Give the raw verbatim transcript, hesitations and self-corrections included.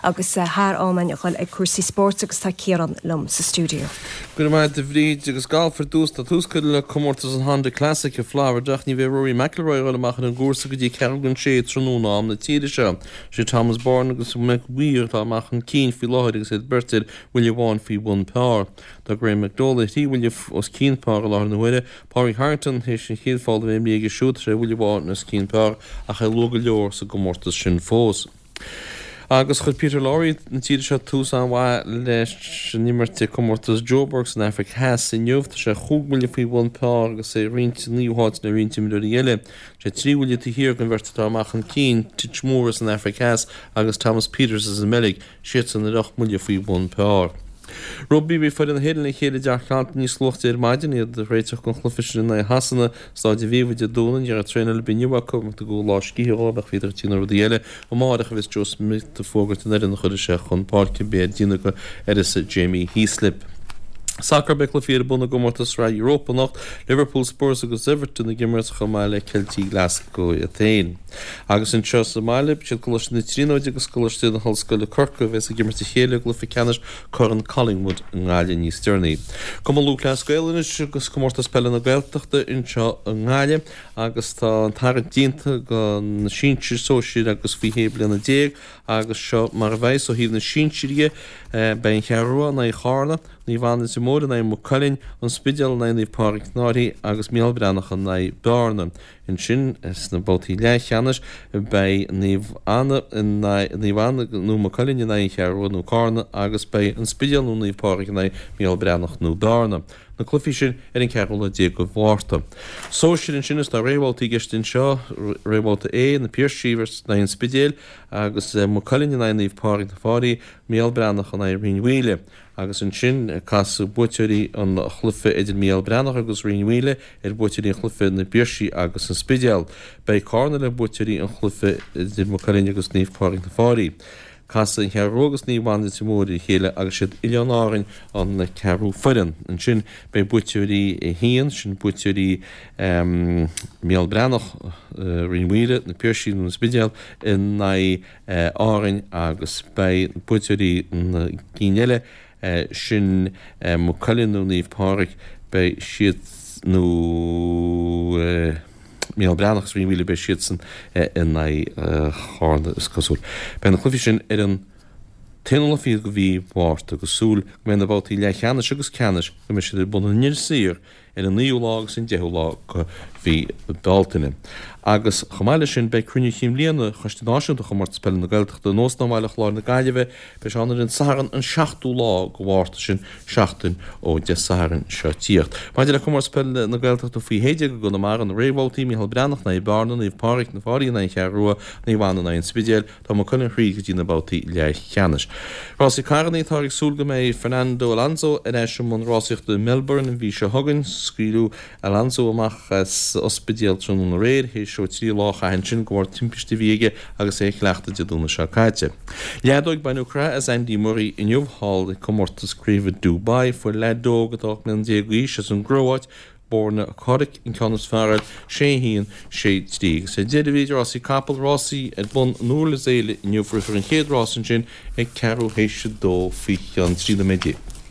agus uh, thar am a dhul ag cúrsaí spóirt agus tá Ciarán liom sa stiúideo. Go maith a Bhríd agus galf ar dtús tá tús curtha le comórtas an Honda Classic i Florida ach ní bheidh Rory McIlroy ag dul amach ar an gcúrsa go dtí ceathrú don sé tráthnóna am na tíre seo. Sé Thomas Bjorn agus Mick Weir atá amach chun cinn faoi láthair agus iad beirt ar bhuille amháin faoi bhun par. Tá Graham McDowell trí bhuille os cionn par i láthair na huaire, Pádraig Harrington théis an chéad pholl a bheith imithe aige siúd sé bhuille amháin os cionn par ach é luath go leor sa gcomórtas sin fós. Agus chuir Peter Lawrie na tíre seo tús an-mhaith leis an imirt i comórtas Joburg san Afraic Theas inniu tá sé chúig bhuille faoi bhun par agus é ag roinnt naoú háit le roinnt imreoirí eile. Sé trí bhuille taobh thiar den bheirt atá amach chun cinn Titch Moore as an Afraic Theas agus Thomas Pieters as an mBeilg, siadsan ar ocht mbuille faoi bhun par. Rugbaí bhí foireann na hÉireann le chéile i dTeach Carlton níos luaithe ar maidin iad ag réiteach don chluiche sin in aghaidh Shasana, Staid Aviva Dé Domhnaigh. Ní raibh traenáil ar bith inniu acu mar tugadh lá scíthe dóibh ach bhíodar ag déanamh rudaí eile. Amárach a bheas Joe Schmidt ag fógairt an fhoireann a chuirfidh sé chun páirce beidh air déanamh go uireasa Jamie Heaslip. Sacar Beidh cluichí ar bun i gcomórtas Sraith Europa anocht, Liverpool, Spurs agus Everton ag imirt chomh maith le Ceiltigh Glasgow iad féin. Agus anseo sa mbaile, siad Coláiste na Tríonóide agus Coláiste na hOllscoile Corcaigh a bheas ag imirt a chéile i gcluiche ceannais Corn Collingwood i nGaillimh níos deireanaí. Cumann Lúthchleas Gael anois agus Comórtas Peile na Gaeltachta anseo i nGaillimh agus tá an tarraingt déanta do na sinsir, sóisir agus faoi shé bliana déag agus seo mar a bheas ó thaobh na sinsir dhe, beidh an Cheathrú Rua in aghaidh Charna, Naomh Anna Leitir Móir in aghaidh Maigh Cuilinn, An Spidéal in aghaidh Naomh Pádraig na Faiche agus Mícheál Breathnach in aghaidh Bearna. Ansin sna babhtaí leathcheannais beidh Naomh Anna in aghaidh Naomh Anna nó Maigh Cuilinn in aghaidh an Cheathrú Rua nó Carna agus beidh An Spidéal nó Naomh Pádraig in aghaidh Mícheál Breathnach nó Bearna. Na cluichí sin ar an ceathrú lá déag de Mhárta. Sóisir ansin is tá réamhbhabhtaí i gceist anseo, réamhbhabhta A, Na Piarsaigh in aghaidh an Spidéil agus Maigh Cuilinn in aghaidh Naomh Pádraig na Faiche, Mícheál Breathnach in aghaidh Rinn Mhaoile. Agus ansin casfaidh buaiteoirí an chluiche idir Mícheál Breathnach agus Rinn Mhaoile ar bhuaiteoirí an chluiche Na Piarsaigh agus an Spidéal. Beidh Carna le buaiteoirí an chluiche idir Maigh Cuilinn agus Naomh Pádraig na Faiche. Casfaidh an Cheathrú Rua agus Naomh Anna Leitir Móir ar a chéile agus siad Oileáin Árainn an ceathrú foireann. Ansin beidh buaiteoirí a haon, sin buaiteoirí Mícheál Breathnach, Rinn Mhaoile, Na Piarsaigh nó an Spidéal in aghaidh Árainn agus beidh buaiteoirí na gcinn eile, sin Maigh Cuilinn nó Naomh Pádraig, beidh siad nó. Mícheál Breathnach agus Rinn Mhaoile beidh siadsan in aghaidh Charna is cosúil. Beidh na cluichí sin ar an t-aonú lá fichead de mhí Mhárta agus súil go mbeidh na babhtaí leathcheannais agus ceannais go mbeidh siad ar bun in Inis Oírr ar an naoú lá agus an deichiú lá de mhí Bealtaine. Agus chomh maith leis sin beidh cruinniú chinn bhliana Choiste Náisiúnta Chomórtas Peile na Gaeltachta in Óstán Bhaile Chláir na Gaillimhe Beidh sé ann ar an Satharn an seachtú lá de Mhárta, sin seachtain ó Dé Sathairn seo tíocht. Maidir le Comórtas Peile na Gaeltachta faoi shé déag i gConamara, na réamhbhabhtaí, Mícheál Breathnach in aghaidh Bearna, Naomh Pádraig, Na Faichí in aghaidh An Cheathrú Rua, Naomh Anna in aghaidh An Spidéil, tá Maigh Cuilinn thríd go dtí na babhtaí leathcheannais. Rásaí carrannaí, Táthar ag súil go mbeidh Fernando Alonso ar ais i mbun rásaíochta i Melbourne an mhí seo chugainn. Scaoileadh Alonso amach as ospidéal tráthnóna aréir, théis dó trí lá a chaitheamh ansin de bharr timpiste a bhí aige agus é ag cleachtadh Dé Domhnaigh seo caite. Leadóg, Baineadh croitheadh as Andy Murray inniu thall ag comórtas craoibhe Dubai. Fuair leaid óg atá ocht mbliana déag d'aois as an gCróit, Borna Coric, an ceann is fearr air, sé a haon, sé trí. Agus ar deireadh bhí rásaí capall, rásaí ar bun in Iúr Zéile inniu. Rithfear an chéad rás ansin ag ceathrú théis a dó faoi cheann trí nóiméad déag.